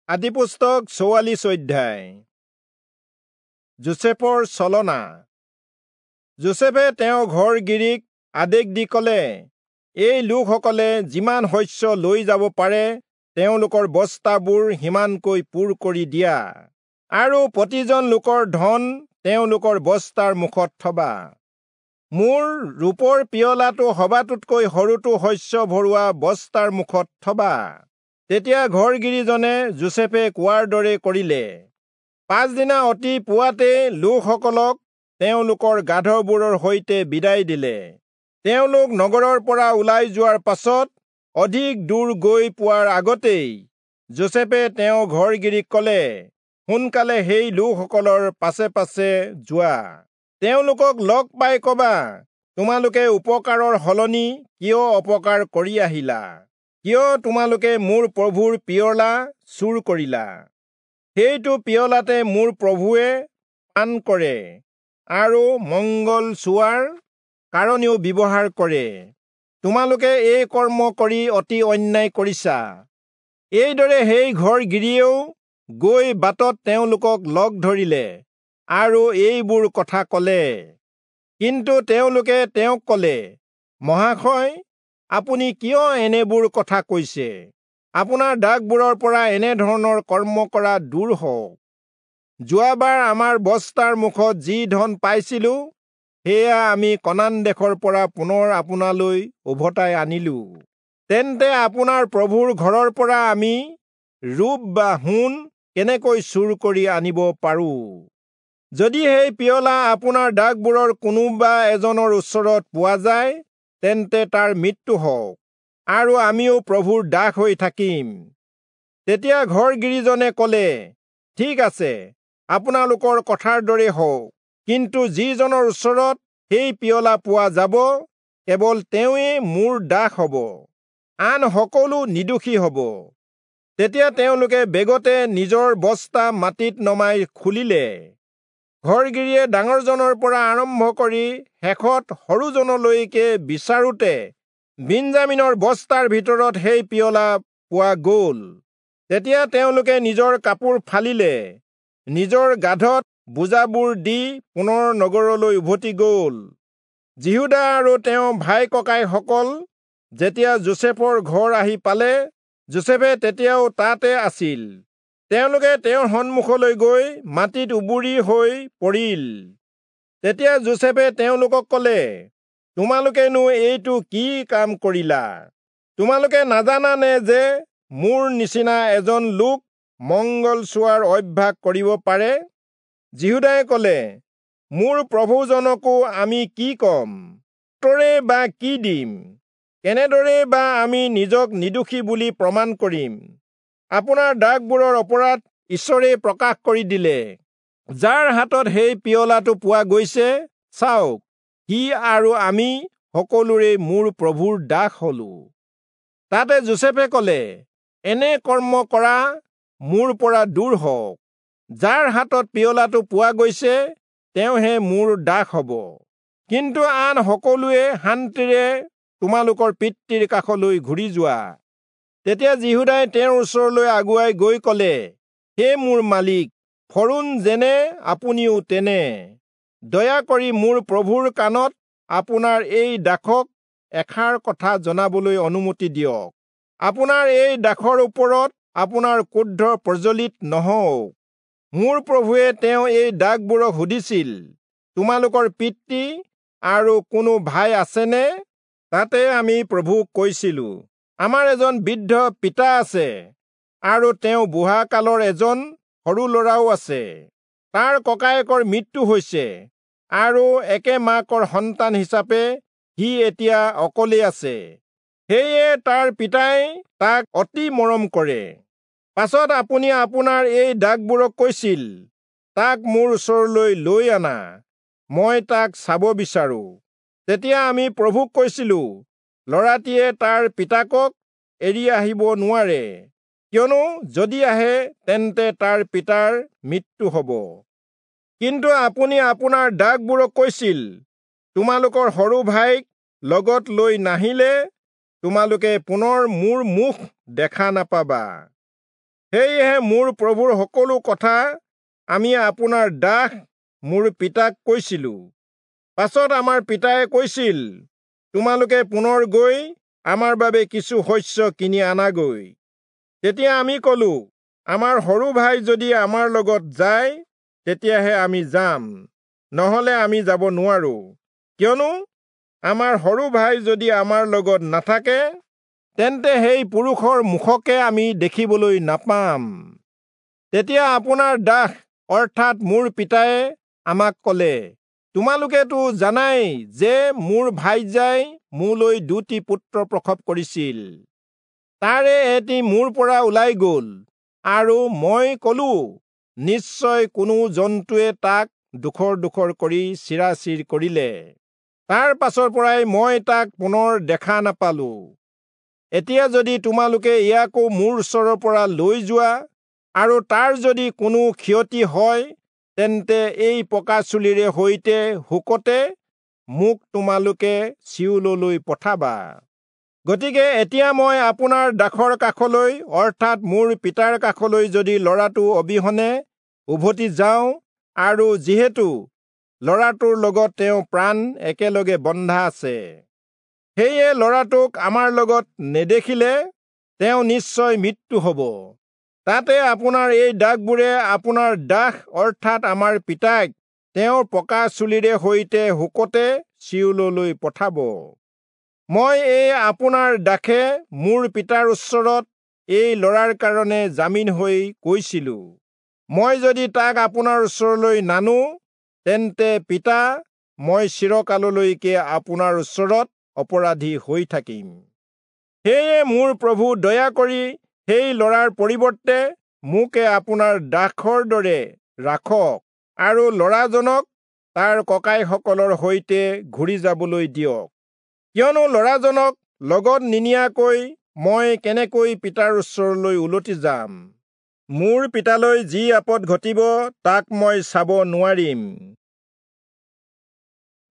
আদিপুস্তক 44 অধ্যায়। যোচেফৰ ছলনা। যোচেফে তেওঁৰ ঘৰগিৰীক আদেশ দি কলে, এই লোকসকলে যিমান শস্য লৈ যাব পাৰে তেওঁলোকৰ বস্তাবোৰ সিমানকৈ পূৰ কৰি দিয়া, আৰু প্ৰতিজন লোকৰ ধন তেওঁলোকৰ বস্তাৰ মুখত থবা। মোৰ ৰূপৰ পিয়লাটো সবাতোতকৈ সৰুটো শস্য ভৰোৱা বস্তাৰ মুখত থবা। তেতিয়া ঘৰগিৰীজনে যোচেফে কোৱাৰ দৰে কৰিলে। পাছদিনা অতি পুৱাতে লোকসকলক তেওঁলোকৰ গাধবোৰৰ সৈতে বিদায় দিলে। তেওঁলোক নগৰৰ পৰা ওলাই যোৱাৰ পাছত অধিক দূৰ গৈ পোৱাৰ আগতেই যোচেফে তেওঁ ঘৰগিৰীক কলে, সোনকালে সেই লোকসকলৰ পাছে পাছে যোৱা, তেওঁলোকক লগ পাই কবা, তোমালোকে উপকাৰৰ সলনি কিয় অপকাৰ কৰি আহিলা? কিয় তোমালোকে মোৰ প্ৰভুৰ পিয়লা চুৰ কৰিলা? সেইটো পিয়লাতে মোৰ প্ৰভুৱে পান কৰে আৰু মংগল চোৱাৰ কাৰণেও ব্যৱহাৰ কৰে। তোমালোকে এই কৰ্ম কৰি অতি অন্যায় কৰিছা। এইদৰে সেই ঘৰগিৰীয়েও গৈ বাটত তেওঁলোকক লগ ধৰিলে আৰু এইবোৰ কথা কলে। কিন্তু তেওঁলোকে তেওঁক কলে, মহাশয়, আপুনি কিয় এনেবোৰ কথা কৈছে? আপোনাৰ দাসবোৰৰ পৰা এনেধৰণৰ কৰ্ম কৰা দূৰ হওক। যোৱাবাৰ আমাৰ বস্তাৰ মুখত যি ধন পাইছিলো, সেয়া আমি কনান দেশৰ পৰা পুনৰ আপোনালৈ উভতাই আনিলো। তেন্তে আপোনাৰ প্ৰভুৰ ঘৰৰ পৰা আমি ৰূপ বা সোণ কেনেকৈ চুৰ কৰি আনিব পাৰো? যদি সেই পিয়লা আপোনাৰ দাসবোৰৰ কোনোবা এজনৰ ওচৰত পোৱা যায়, তেন্তে তাৰ মৃত্যু হওক, আৰু আমিও প্ৰভুৰ দাস হৈ থাকিম। তেতিয়া ঘৰগিৰীজনে কলে, ঠিক আছে, আপোনালোকৰ কথাৰ দৰে হওক, কিন্তু যিজনৰ ওচৰত সেই পিয়লা পোৱা যাব, কেৱল তেওঁৱেই মোৰ দাস হব, আন সকলো নিৰ্দোষী হব। তেতিয়া তেওঁলোকে বেগতে নিজৰ বস্তা মাটিত নমাই খুলিলে। ঘৰগিৰীয়ে ডাঙৰজনৰ পৰা আৰম্ভ কৰি শেষত সৰুজনলৈকে বিচাৰোতে বিঞ্জামিনৰ বস্তাৰ ভিতৰত সেই পিয়লা পোৱা গল। তেতিয়া তেওঁলোকে নিজৰ কাপোৰ ফালিলে, নিজৰ গাধত বোজাবোৰ দি পুনৰ নগৰলৈ উভতি গল। যিহূদা আৰু তেওঁ ভাই ককাইসকল যেতিয়া যোচেফৰ ঘৰ আহি পালে, যোচেফে তেতিয়াও তাতে আছিল। তেওঁলোকে তেওঁৰ সন্মুখলৈ গৈ মাটিত উবুৰি হৈ পৰিল। তেতিয়া যোচেফে তেওঁলোকক কলে, তোমালোকেনো এইটো কি কাম কৰিলা? তোমালোকে নাজানানে যে মোৰ নিচিনা এজন লোক মংগল চোৱাৰ অভ্যাস কৰিব পাৰে? যিহূদাই কলে, মোৰ প্ৰভুজনকো আমি কি কম? উত্তৰে বা কি দিম? কেনেদৰে বা আমি নিজক নিৰ্দোষী বুলি প্ৰমাণ কৰিম? আপোনাৰ দাসবোৰৰ অপৰাধ ঈশ্বৰে প্ৰকাশ কৰি দিলে। যাৰ হাতত সেই পিয়লাটো পোৱা গৈছে, চাওক, সি আৰু আমি সকলোৰে মোৰ প্ৰভুৰ দাস হলো। তাতে যোচেফে কলে, এনে কৰ্ম কৰা মোৰ পৰা দূৰ হওক। যাৰ হাতত পিয়লাটো পোৱা গৈছে, তেওঁহে মোৰ দাস হব, কিন্তু আন সকলোৱে শান্তিৰে তোমালোকৰ পিতৃৰ কাষলৈ ঘূৰি যোৱা। তেতিয়া যিহূদাই তেওঁৰ ওচৰলৈ আগুৱাই গৈ কলে, হে মোৰ মালিক, ফৰোণ যেনে আপুনিও তেনে। দয়া কৰি মোৰ প্ৰভুৰ কাণত আপোনাৰ এই দাসক এষাৰ কথা জনাবলৈ অনুমতি দিয়ক। আপোনাৰ এই দাসৰ ওপৰত আপোনাৰ ক্ৰোধ প্ৰজ্বলিত নহওক। মোৰ প্ৰভুৱে তেওঁ এই দাসবোৰক সুধিছিল, তোমালোকৰ পিতৃ আৰু কোনো ভাই আছেনে? তাতে আমি প্ৰভুক কৈছিলো, আমাৰ এজন বৃদ্ধ পিতা আছে, আৰু তেওঁ বুঢ়া কালৰ এজন সৰু ল'ৰাও আছে। তাৰ ককায়েকৰ মৃত্যু হৈছে, আৰু একে মাকৰ সন্তান হিচাপে সি এতিয়া অকলেই আছে। সেয়ে তাৰ পিতাই তাক অতি মৰম কৰে। পাছত আপুনি আপোনাৰ এই দাসবোৰক কৈছিল, তাক মোৰ ওচৰলৈ লৈ আনা, মই তাক চাব বিচাৰো। তেতিয়া আমি প্ৰভুক কৈছিলো, ল'ৰাটিয়ে তাৰ পিতাকক এৰি আহিব নোৱাৰে, কিয়নো যদি আহে তেন্তে তাৰ পিতাৰ মৃত্যু হব। কিন্তু আপুনি আপোনাৰ দাসবোৰক কৈছিল, তোমালোকৰ সৰু ভাইক লগত লৈ নাহিলে তোমালোকে পুনৰ মোৰ মুখ দেখা নাপাবা। সেয়েহে মোৰ প্ৰভুৰ সকলো কথা আমি আপোনাৰ দাস মোৰ পিতাক কৈছিলো। পাছত আমাৰ পিতায়ে কৈছিল, তোমালোকে পুনৰ গৈ আমাৰ বাবে কিছু শস্য কিনি আনাগৈ। তেতিয়া আমি কলো, আমাৰ সৰু ভাই যদি আমাৰ লগত যায় তেতিয়াহে আমি যাম, নহলে আমি যাব নোৱাৰো। কিয়নো আমাৰ সৰু ভাই যদি আমাৰ লগত নাথাকে তেন্তে সেই পুৰুষৰ মুখকে আমি দেখিবলৈ নাপাম। তেতিয়া আপোনাৰ দাস অৰ্থাৎ মোৰ পিতায়ে আমাক কলে, তোমালোকেতো জানাই যে মোৰ ভাইজাই মোলৈ দুটি পুত্ৰ প্ৰসৱ কৰিছিল। তাৰে এটি মোৰ পৰা ওলাই গল, আৰু মই কলো, নিশ্চয় কোনো জন্তুৱে তাক ডোখৰ ডোখৰ কৰি চিৰাচিৰ কৰিলে। তাৰ পাছৰ পৰাই মই তাক পুনৰ দেখা নাপালো। এতিয়া যদি তোমালোকে ইয়াকো মোৰ ওচৰৰ পৰা লৈ যোৱা আৰু তাৰ যদি কোনো ক্ষতি হয়, তেন্তে এই পকা চুলিৰে সৈতে শোকতে মোক তোমালোকে চিয়োললৈ পঠাবা। গতিকে এতিয়া মই আপোনাৰ দাসৰ কাষলৈ অৰ্থাৎ মোৰ পিতাৰ কাষলৈ যদি ল'ৰাটো অবিহনে উভতি যাওঁ, আৰু যিহেতু ল'ৰাটোৰ লগত তেওঁ প্ৰাণ একেলগে বন্ধা আছে, সেয়ে ল'ৰাটোক আমাৰ লগত নেদেখিলে তেওঁ নিশ্চয় মৃত্যু হ'ব। তাতে আপোনাৰ এই দাসবোৰে আপোনাৰ দাস অৰ্থাৎ আমাৰ পিতাক তেওঁৰ পকা চুলিৰে সৈতে শোকতে চিয়োললৈ পঠাব। মই এই আপোনাৰ দাসে মোৰ পিতাৰ ওচৰত এই ল'ৰাৰ কাৰণে জামিন হৈ কৈছিলো, মই যদি তাক আপোনাৰ ওচৰলৈ নানো তেন্তে পিতা, মই চিৰকাললৈকে আপোনাৰ ওচৰত অপৰাধী হৈ থাকিম। সেয়ে মোৰ প্ৰভু, দয়া কৰি সেই ল'ৰাৰ পৰিৱৰ্তে মোকে আপোনাৰ দাসৰ দৰে ৰাখক আৰু ল'ৰাজনক তাৰ ককাইসকলৰ সৈতে ঘূৰি যাবলৈ দিয়ক। কিয়নো ল'ৰাজনক লগত নিনিয়াকৈ মই কেনেকৈ পিতাৰ ওচৰলৈ উলটি যাম? মোৰ পিতালৈ যি আপদ ঘটিব তাক মই চাব নোৱাৰিম।